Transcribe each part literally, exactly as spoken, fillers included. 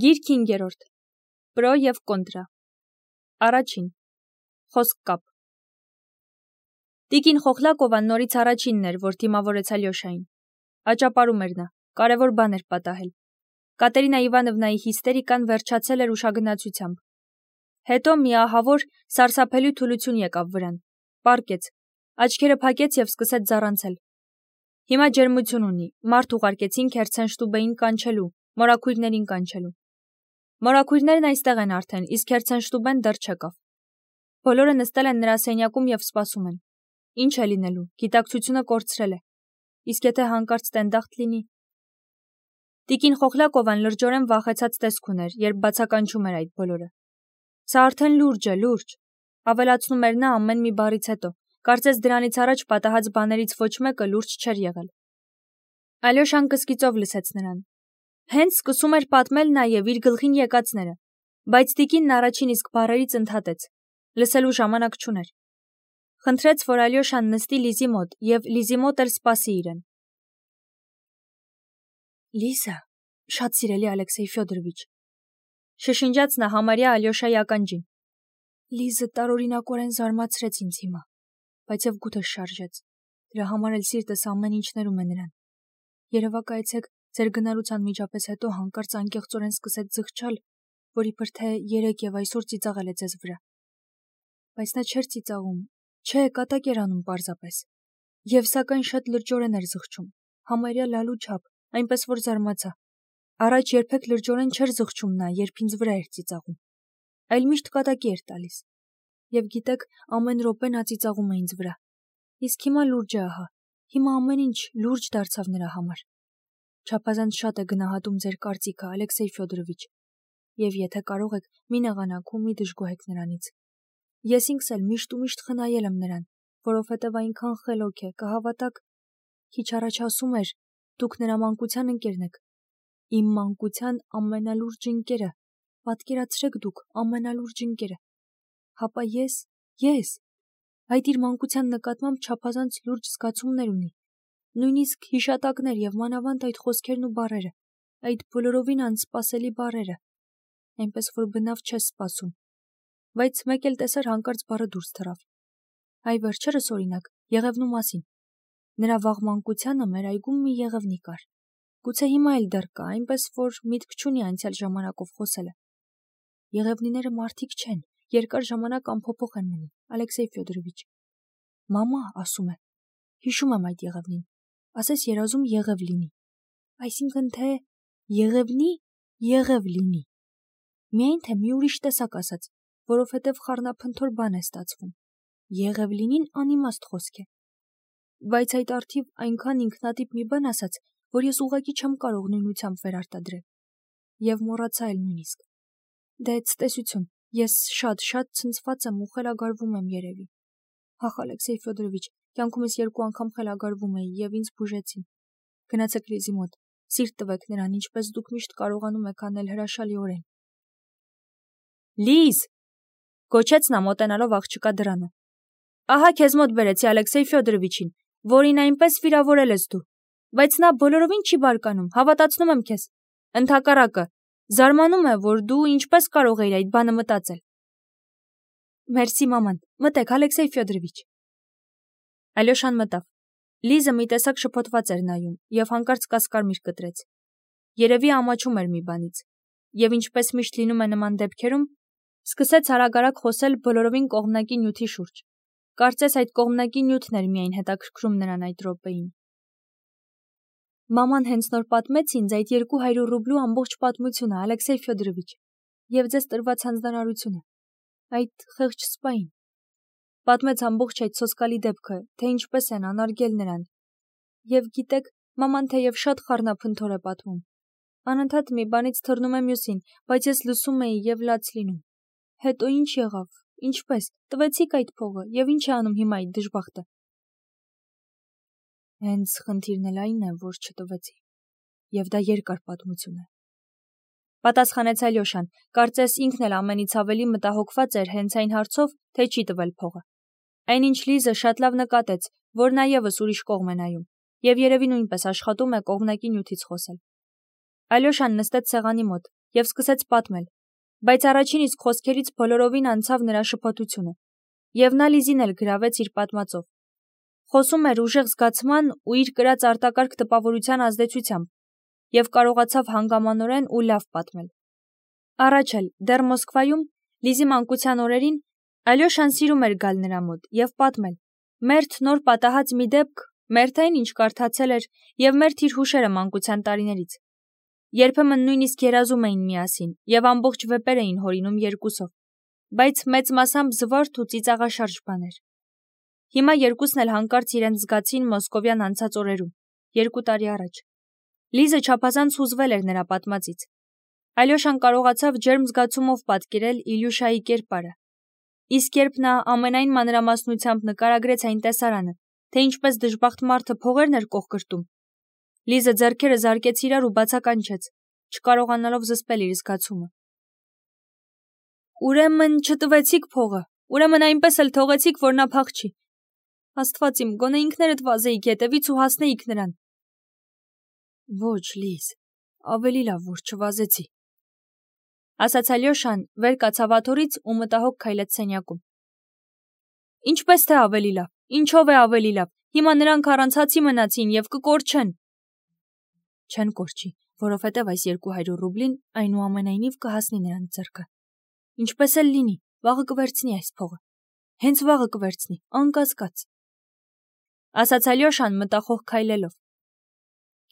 Գիրք հինգերորդ. Պրո և կոնտրա. Առաջին. Խոսք կապ. Տիկին Խոխլակովան նորից առաջինն էր, որ դիմավորեց Ալյոշային. Աճապարում էր նա, կարևոր բան էր պատահել. Կատերինա Իվանովնայի հիստերիկան վերջացել էր ուշագնացությամբ. Հետո մի ահավոր, սարսափելի թուլություն եկավ վրան, պառկեց, աչքերը փակեց և սկսեց ձառանցել. Հիմա ջերմություն ունի, մարդ ուղարկեցին Քերցենշտուբեին կանչելու, մորաքույրներին կանչելու. Մորաքույրներն այստեղ են արդեն, իսկ Քերցենշտուբեն դեռ չեկավ. Բոլորը նստել են նրա սենյակում և սպասում են. Ինչ է լինելու, գիտակցությունը կորցրել է, իսկ եթե հանկարծ տենդախտ լինի. Տիկին Խոխլակովան լրջորեն վախեցած տեսք ուներ, երբ բացականչում էր այդ բոլորը. Սա արդեն լուրջ է, լուրջ, ավելացնում էր նա ամեն մի բառից հետո, կարծես դրանից առաջ պատահած բաներից ոչ մեկը լուրջ չէր եղել. Ալյոշան կսկիծով լսեց նրան. Հենց սկսում էր պատմել նաև իր գլխին եկածները, բայց տիկինն առաջին իսկ բառերից ընդհատեց, լսելու ժամանակ չուներ. Խնդրեց, որ Ալյոշան նստի Լիզի մոտ և Լիզի մոտ էլ սպասի իրեն. Լիզա, շատ սիրելի Ալեքսեյ Ֆյոդորովիչ, շշնջաց նա համարյա Ալյոշայի ականջին. Լիզը տարօրինակորեն զարմացրեց ինձ հիմա, բայց և գութս շարժեց, դրա համար էլ սիրտս ամեն ինչ ներում է նրան. Երևակայեցեք, ձեր գնալուց անմիջապես հետո հանկարծ անկեղծորեն սկսեց զղջալ, որ իբր թե երեկ և այսօր ծիծաղել է ձեզ վրա. Բայց նա չէր ծիծաղում, չէ, կատակ էր անում պարզապես, և սակայն շատ լրջորեն էր զղջում, համարյա լալու չափ, այնպես որ զարմացա. Առաջ երբեք լրջորեն չէր զղջում նա, երբ ինձ վրա էր ծիծաղում, այլ միշտ կատակի էր տալիս, և գիտեք, ամեն րոպե նա ծիծաղում է ինձ վրա, իսկ հիմա լուրջ է ահա, հիմա ամեն ինչ լուրջ դարձավ նրա համար. Չափազանց շատ է գնահատում ձեր կարծիքը, Ալեքսեյ Ֆյոդորովիչ, և եթե կարող եք, մի նեղանաք ու մի դժգոհեք նրանից. Ես ինքս էլ միշտ ու միշտ խնայել եմ նրան, որովհետև այնքան խելոք է, կհավատաք, քիչ առաջ ասում էր, դուք նրա մանկության ընկերն եք, իմ մանկության ամենալուրջ ընկերը, պատկերացրեք դուք, ամենալուրջ ընկերը, հապա ես, ես, այդ իր մանկության նկատմամբ չափազանց լուրջ զգացումներ ունի, նույնիսկ հիշատակներ և մանավանդ այդ խոսքերն ու բառերը, այդ բոլորովին անսպասելի բառերը, այնպես որ բնավ չես սպասում, բայց մեկ էլ տեսար հանկարծ բառը դուրս թռավ. Այ վերջերս օրինակ, Եղևնու մասին, նրա վաղ մանկությանը մեր այգում մի եղևնի կար, գուցե հիմա էլ դեռ կա, այնպես որ միտք չունի անցյալ ժամանակով խոսելը. Եղևնիները մարդիկ չեն, երկար ժամանակ անփոփոխ են մնում, Ալեքսեյ Ֆյոդորովիչ, մամա ասում է, հիշում եմ այդ եղևնին, ասես երազում եղև լինի, այսինքն թե եղևնի եղև լինի, միայն թե մի ուրիշ տեսակ ասած, որովհետև խառնափնթոր բան է ստացվում, եղև լինին անիմաստ խոսք է, բայց այդ առթիվ այնքան ինքնատիպ մի բան ասաց, որ ես ուղղակի չեմ կարող նույնությամբ վերարտադրել, և մոռացա էլ նույնիսկ, դե ցտեսություն, ես շատ-շատ ցնցված եմ ու խելագարվում եմ երևի, ահ Ալեքսեյ Ֆյոդորովիչ, կյանքումս երկու անգամ խելագարվում էի և ինձ բուժեցին, գնացեք Լիզի մոտ, սիրտ տվեք նրան, ինչպես դուք միշտ կարողանում եք անել հրաշալիորեն. Լիզ, գոչեց նա մոտենալով աղջկա դռանը, ահա քեզ մոտ բերեցի Ալեքսեյ Ֆյոդորովիչին, որին այնպես վիրավորել ես դու, բայց նա բոլորովին չի բարկանում, հավատացնում եմ քեզ, ընդհակառակը, զարմանում է, որ դու ինչպես կարող էիր այդ բանը մտածել. Մերսի մաման, մտեք Ալեքսեյ Ֆյոդորովիչ. Ալյոշան մտավ, Լիզը մի տեսակ շփոթված էր նայում և հանկարծ կասկարմիր կտրեց, երևի ամաչում էր մի բանից, և ինչպես միշտ լինում է նման դեպքերում, սկսեց արագ-արագ խոսել բոլորովին կողմնակի նյութի շուրջ, կարծես այդ կողմնակի նյութն էր միայն հետաքրքրում նրան այդ րոպեին. Մաման հենց նոր պատմեց ինձ այդ երկու հարյուր ռուբլու ամբողջ պատմությունը, Ալեքսեյ Ֆյոդորովիչ, և ձեզ տրված հանձնարարությունը, այդ խեղճ սպային, պատմեց ամբողջ այդ սոսկալի դեպքը, թե ինչպես են անարգել նրան, և գիտեք, մաման թեև շատ խառնափնթոր է պատմում, անընդհատ մի բանից թռնում է մյուսին, բայց ես լսում էի և լաց լինում, հետո ինչ եղավ, ինչպես, տվեցիք այդ փողը, և ինչ է անում հիմա այդ դժբախտը. Հենց խնդիրն էլ այն է, որ չտվեցի, և դա երկար պատմություն է, պատասխանեց Ալյոշան, կարծես ինքն էլ ամենից ավելի մտահոգված էր հենց այն հարցով, թե չի տվել փողը, այնինչ Լիզը շատ լավ նկատեց, որ նա ևս ուրիշ կողմ է նայում, և երևի նույնպես աշխատում է կողմնակի նյութից խոսել. Ալյոշան նստեց սեղանի մոտ և սկսեց պատմել, բայց առաջին իսկ խոսքերից բոլորովին անցավ նրա շփոթությունը, և նա Լիզին էլ գրավեց իր պատմածով։ Խոսում էր ուժեղ զգացման ու իր կրած արտակարգ տպավորության ազդեցությամբ և կարողացավ հանգամանորեն ու լավ պատմել։ Առաջ էլ, դեռ Մոսկվայում, Լիզի մանկության օրերին, Ալյոշան սիրում էր գալ նրա մոտ և պատմել, մերթ նոր պատահած մի դեպք, մերթ այն, ինչ կարդացել էր, և մերթ իր հուշերը մանկության տարիներից։ Երբեմն նույնիսկ երազում էին միասին և ամբողջ վեպեր էին հորինում երկուսով, բայց մեծ մասամբ զվարթ ու ծիծաղաշարժ բաներ։ Հիմա երկուսն էլ հանկարծ իրենց զգացին մոսկովյան անցած օրերում, երկու տարի առաջ։ Լիզը չափազանց հուզվել էր նրա պատմածից։ Ալյոշան կարողացավ ջերմ զգացումով պատկերել Իլյուշայի կերպարը։ Իսկ երբ նա ամենայն մանրամասնությամբ նկարագրեց այն տեսարանը, թե ինչպես դժբախտ մարդը փողերն էր կոխկրտում, Լիզը ձեռքերը զարկեց իրար ու բացականչեց, չկարողանալով զսպել իր զգացումը։ Ուրեմն չտվեցիք փողը, ուրեմն այնպես էլ թողեցիք, որ նա փախչի։ Աստված իմ, գոնե ինքներդ վազեիք հետևից ու հասնեիք նրան։ Ոչ, Լիզ, ավելի լավ, որ չվազեցի, ասաց Ալյոշան, վեր կացավ աթոռից ու մտահոգ քայլեց սենյակում։ Ինչպես թե ավելի լավ, ինչով է ավելի լավ, հիմա նրանք առանց հացի մնացին և կկորչեն։ Չեն կորչի, որովհետև այս երկու հարյուր ռուբլին այնուամենայնիվ կհասնի նրանց ձեռքը։ Ինչպես էլ լինի, վաղը կվերցնի այս փողը։ Հենց վաղը կվերցնի, անկասկած, ասաց Ալյոշան մտախոհ քայլելով։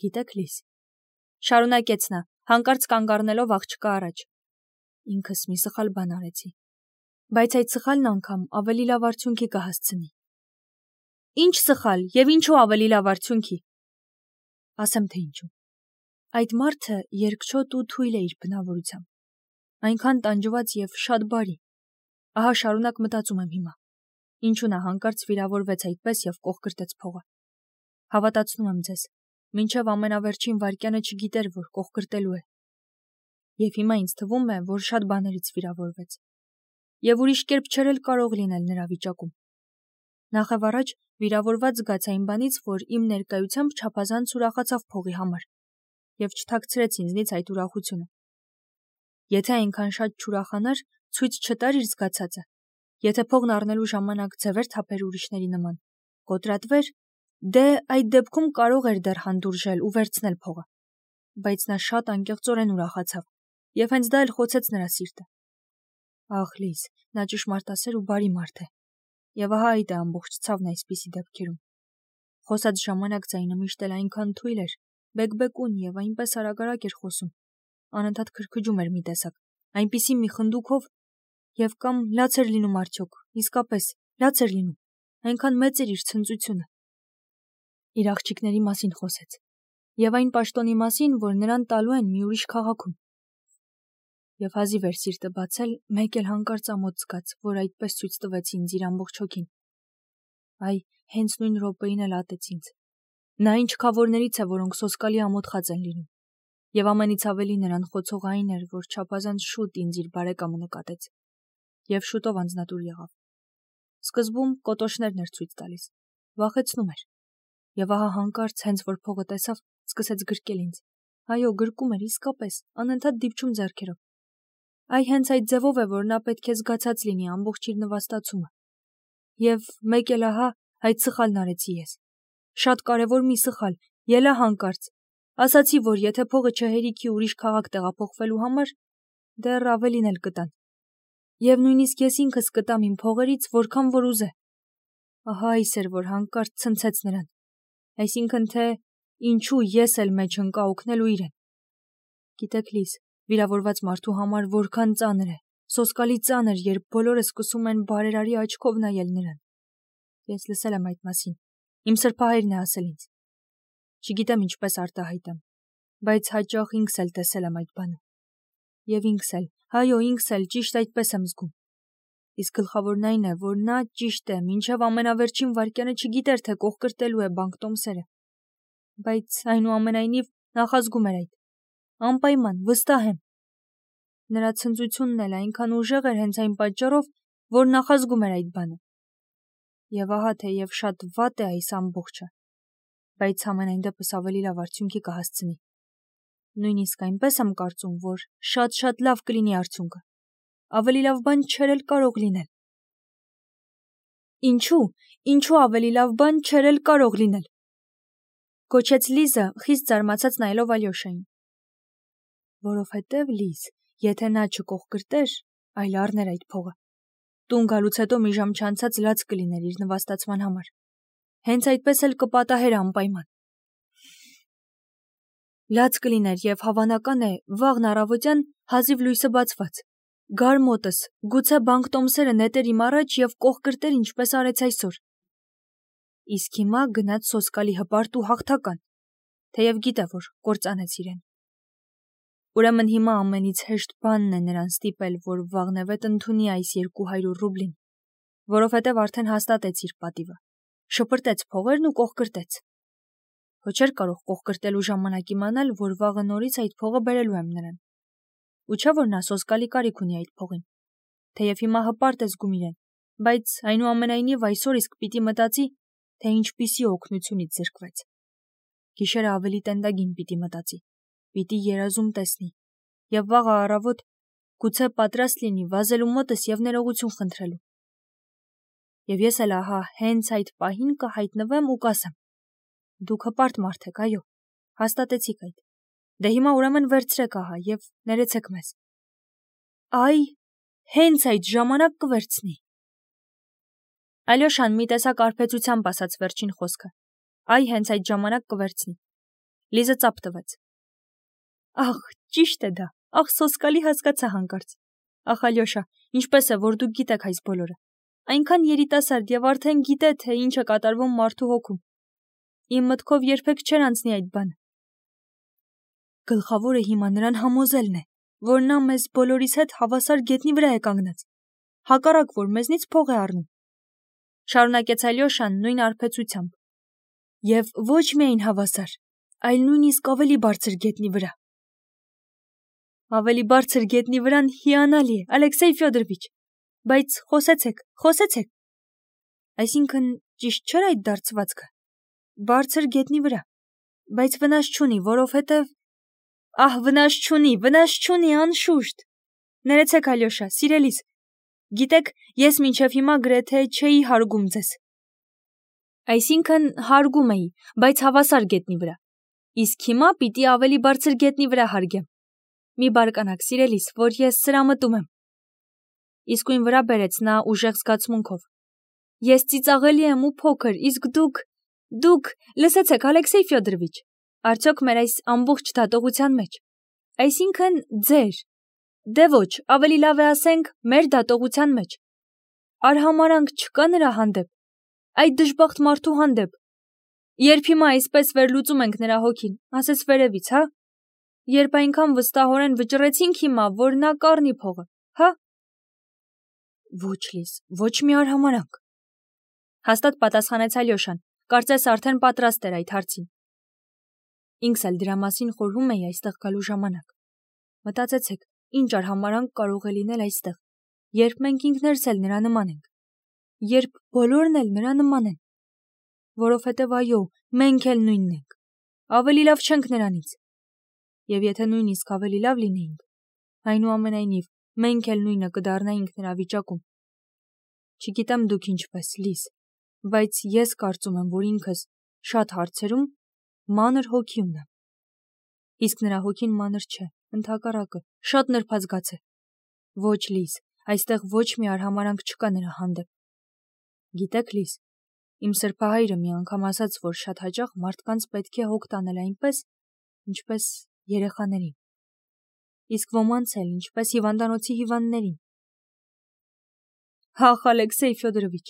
Գիտեք, Լիզ, շարունակեց նա, հանկարծ կանգ առնելով աղջկա առաջ, ինքս մի սխալ բան արեցի, բայց այդ սխալն անգամ ավելի լավ արդյունքի կհասցնի։ Ինչ սխալ և ինչու ավելի լավ արդյունքի։ Ասեմ թե ինչու։ Այդ մարդը երկչոտ ու թույլ է իր բնավորությամբ, այնքան տանջված և շատ բարի։ Ահա շարունակ մտածում եմ հիմա, ինչու նա հանկարծ վիրավորվեց այդպես և կոխկրտեց փողը։ Հավատացնում եմ ձեզ, մինչև ամենավերջին վայրկյանը չգիտեր, որ կոխկրտելու է։ Եվ հիմա ինձ թվում է, որ շատ բաներից վիրավորվեց։ Եվ ուրիշ կերպ չէր էլ կարող լինել նրա վիճակում։ Նախևառաջ վիրավորված զգաց այն բանից, որ իմ ներկայությամբ չափազանց ուրախացավ փողի համար և չթաքցրեց ինձնից այդ ուրախությունը։ Եթե այնքան շատ չուրախանար, ցույց չտար իր զգացածը, եթե փողն առնելու ժամանակ ձևեր թափեր ուրիշների նման, կոտրատվեր, դե այդ դեպքում կարող էր դեռ հանդուրժել ու վերցնել փողը, բայց նա շատ անկեղծորեն ուրախացավ, և հենց դա էլ խոցեց նրա սիրտը։ Ախ, Լիզ, նա ճշմարտասեր ու բարի մարդ է, և ահա այդ է ամբողջ ցավն այսպիսի դեպքերում։ Խոսած ժամանակ ձայնը միշտ էլ այնքան թույլ էր, բեկբեկուն և այնպես արագ-արագ էր խոսում, անընդհատ քրքջում էր մի տեսակ, այնպիսի մի խնդուկով, և կամ լաց էր լինում արդյոք, իսկապես, լաց էր լինում, այնքան մեծ էր իր ցնծությունը։ Իր աղջիկների մասին խոսեց, և այն պաշտոնի մասին, որ նրան տալու են մի ուրիշ քաղաքում։ Եվ հազիվ էր սիրտը բացել, մեկ էլ հանկարծ ամոթ զգաց, որ այդպես ցույց տվեց ինձ իր ամբողջ հոգին։ Այ, հենց նույն րոպեին էլ ատեց ինձ։ Նա այն չքավորներից է, որոնք սոսկալի ամոթխած են լինում, և ամենից ավելի նրան խոցող այն էր, որ չափազանց շուտ ինձ իր բարեկամը նկատեց, և շուտով անձնատուր եղավ։ Սկզբում կոտոշներն էր ցույց տալիս, վախեցնում էր, և ահա հանկարծ, հենց որ փողը տեսավ, սկսեց գրկել ինձ։ Այո, գրկում էր իսկապես, անընդհատ դիպչում ձեռքերով։ Այ հենց այդ ձևով է, որ նա պետք է զգացած լինի ամբողջ իր նվաստացումը։ Եվ մեկ էլ ահա այդ սխալն արեցի ես։ Շատ կարևոր մի սխալ, ելա հանկարծ։ Ասացի, որ եթե փողը չհերիքի ուրիշ քաղաք տեղափոխվելու համար, դեռ ավելին էլ կտան։ Եվ նույնիսկ ես ինքս կտամ իմ փողերից, որքան որ ուզե։ Ահա այս էր, որ հանկարծ ցնցեց նրան։ Այսինքն թե ինչու ես էլ մեջ ընկա օգնելու իրեն։ Գիտեք, Լիզ, վիրավորված մարդու համար որքան ծանր է, սոսկալի ծանր, երբ բոլորը սկսում են բարերարի աչքով նայել նրան։ Ես լսել եմ այդ մասին, իմ սրբահայրն է ասել ինձ։ Չգիտեմ ինչպես արտահայտեմ, բայց հաճախ ինքս էլ տեսել եմ այդ բանը։ Եվ ինքս էլ, այո, ինքս էլ ճիշտ այդպես եմ զգում։ Իսկ գլխավորն այն է, որ նա ճիշտ է, մինչև ամենավերջին վայրկյանը չգիտեր, թե կոխկրտելու է բանկտոմսերը։ Բայց այնուամենայնիվ նախազգում էր այդ։ Անպայման, վստահ եմ։ Նրա ցնծությունն էլ այնքան ուժեղ էր հենց այն պատճառով, որ նախազգում էր այդ բանը։ Եվ ահա թեև շատ վատ է այս ամբողջը, բայց համենայն դեպս ավելի լավ արդյունքի կհասցնի։ Նույնիսկ այնպես եմ կարծում, որ շատ-շատ լավ կլինի արդյունքը։ Ավելի լավ բան չէր էլ կարող լինել։ Ինչու, ինչու ավելի լավ բան չէր էլ կարող լինել։ Կոչեց Լիզը, խիստ զարմացած նայելով Ալյոշային։ Որովհետև Լիզ, եթե նա չկողկրտեր, այլ առներ այդ փողը, տուն գալուց հետո մի ժամ չանցած լաց կլիներ իր նվաստացման համար։ Հենց այդպես էլ կպատահեր անպայման։ Լաց կլիներ և հավանական է վաղն առավոտյան հազիվ լույսը բացված։ Գար մոտս, գուցե բանկտոմսերը նետեր իմ առաջ և կողկրտեր ինչպես արեց այսօր։ Իսկ հիմա գնաց սոսկալի հպարտ ու հաղթական, թեև գիտե, որ կործանեց իրեն։ Ուրեմն հիմա ամենից հեշտ բանն է նրան ստիպել, որ վաղնևետ ընդունի այս երկու հարյուր ռուբլին, որովհետև արդեն հաստատեց իր պատիվը, շպրտեց փողերն ու կողկրտեց։ Ոչ չէր կարող կողկրտելու ժամանակ իմանալ, որ վաղը նորից այդ փողը բերելու եմ նրան։ Ու չէ որ նա սոսկալի կարիք ունի այդ փողին, թեև հիմա հպարտ է զգում իրեն, բայց այնուամենայնիվ այսօր իսկ պիտի մտածի, թե ինչպիսի օգնությունից զրկվեց։ Գիշերը ավելի տենդագին պիտի մտածի, պիտի երազում տեսնի, և վաղը առավոտ գուցե պատրաստ լինի վազելու մոտս և ներողություն խնդրելու։ Եվ ես էլ ահա հենց այդ պահին կհայտնվեմ ու կասեմ. դուք հպարտ մարդ եք, այո, հաստատեցիք այդ, դե հիմա ուրեմն վերցրեք ահա և ներեցեք մեզ։ Այ, հենց այդ ժամանակ կվերցնի։ Ալյոշան մի տեսակ արբեցությամբ ասաց վերջին խոսքը։ Այ հենց այդ ժամանակ կվերցնի։ Լիզը ծափ տվեց։ Ախ, ճիշտ է դա, ախ, սոսկալի հասկացա հանկարծ։ Ախ, Ալյոշա, ինչպես է, որ դուք գիտեք այս բոլորը։ Այնքան երիտասարդ և արդեն գիտե, թե ինչ է կատարվում մարդու հոգում։ Իմ մտքով երբեք չէր անցնի այդ բանը։ Գլխավորը հիմա նրան համոզելն է, որ նա մեզ բոլորիս հետ հավասար գետնի վրա է կանգնած, հակառակ որ մեզնից փող է առնում։ Շարունակեց Ալյոշան նույն արբեցությամբ։ Եվ ոչ միայն հավասար, այլ նույնիսկ ավելի բարձր գետնի վրա։ Ավելի բարձր գետնի վրան հիանալի է, Ալեքսեյ Ֆյոդորովիչ, բայց խոսեցեք, խոսեցեք։ Այսինքն ճիշտ չէր այդ դարձվածքը։ Բարձր գետնի վրա, բայց վնաս չունի, որովհետև… Ահ, վնաս չունի, վնաս չունի, անշուշտ։ Ներեցեք, Ալյոշա, սիրելիս, գիտեք, ես մինչև հիմա գրեթե չէի հարգում ձեզ։ Այսինքն հարգում էի, բայց հավասար գետնի վրա։ Իսկ հիմա պիտի ավելի բարձր գետնի վրա հարգեմ։ Մի բարկանաք, սիրելիս, որ ես սրամտում եմ։ Իսկույն վրա բերեց նա ուժեղ զգացմունքով։ Ես ծիծաղելի եմ ու փոքր, իսկ դուք… Դուք… Լսեցեք, Ալեքսեյ Ֆյոդորովիչ, արդյոք մեր այս ամբողջ դատողության մեջ, այսինքն ձեր… Դե ոչ, ավելի լավ է ասենք, մեր դատողության մեջ… Արհամարհանք չկա նրա հանդեպ, այդ դժբախտ մարդու հանդեպ։ Երբ հիմա այսպես վերլուծում ենք նրա հոգին, ասես վերևից, հա՞։ Երբ այնքան վստահորեն վճռեցինք հիմա, որ նա կառնի փողը, հա՞։ Ոչ, Լիզ, ոչ մի արհամարհանք։ Հաստատ պատասխանեց Ալյոշան, կարծես արդեն պատրաստ էր այդ հարցին։ Ինքս էլ դրա մասին խորհում էի այստեղ գալու ժամանակ։ Մտածեցեք, ինչ արհամարհանք կարող է լինել այստեղ, երբ մենք ինքներս էլ նրա նման ենք, երբ բոլորն էլ նրա նման են։ Որովհետև այո, մենք էլ նույնն ենք, ավելի լավ չենք նրանից։ Եվ եթե նույնիսկ ավելի լավ լինեինք, այնուամենայնիվ մենք էլ նույնը կդառնայինք նրա վիճակում։ Չգիտեմ դուք ինչպես, Լիզ, բայց ես կարծում եմ, որ ինքս շատ հարցերում մանր հոգի ունեմ։ Իսկ նրա հոգին մանր չէ, ընդհակառակը, շատ նրբազգաց է։ Ոչ, Լիզ, այստեղ ոչ մի արհամարհանք չկա նրա հանդեպ։ Գիտեք, Լիզ, իմ սրբահայրը մի անգամ ասաց, որ շատ հաճախ մարդկանց պետք է հոգ տանել այնպես, ինչպես երեխաներին, իսկ ոմանց էլ ինչպես հիվանդանոցի հիվանդներին։ Ախ, Ալեքսեյ Ֆյոդորովիչ,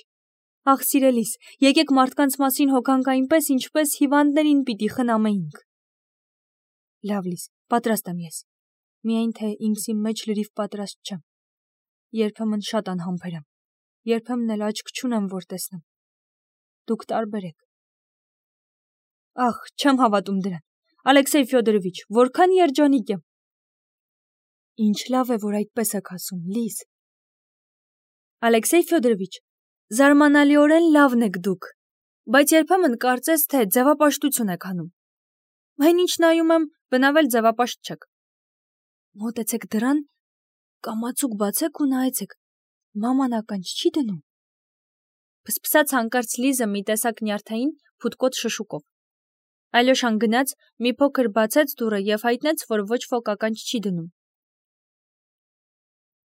ախ, սիրելիս, եկեք մարդկանց մասին հոգանք այնպես, ինչպես հիվանդներին պիտի խնամեինք։ Լավ, Լիզ, պատրաստ եմ ես, միայն թե ինքս իմ մեջ լրիվ պատրաստ չեմ։ Երբեմն շատ անհամբեր եմ, երբեմն էլ աչք չունեմ, որ տեսնեմ։ Դուք տարբեր եք։ Ախ, չեմ հավատում դրան։ Ալեքսեյ Ֆյոդորովիչ, որքան երջանիկ եմ։ Ինչ լավ է, որ այդպես եք ասում, Լիզ։ Ալեքսեյ Ֆյոդորովիչ, զարմանալիորեն լավն եք դուք, բայց երբեմն կարծես թե ձևապաշտություն եք անում։ Այն ինչ նայում եմ, բնավել ձևապաշտ չեք։ Մոտեցեք դրան, կամացուկ բացեք ու նայեցեք։ Մաման ականջ չի դնում։ Փսփսաց հանկարծ Լիզը մի տեսակ նյարդային փութկոտ շշուկով։ Ալյոշան գնաց, մի փոքր բացեց դուռը եւ հայտնեց, որ ոչ ոք ականջ չի դնում։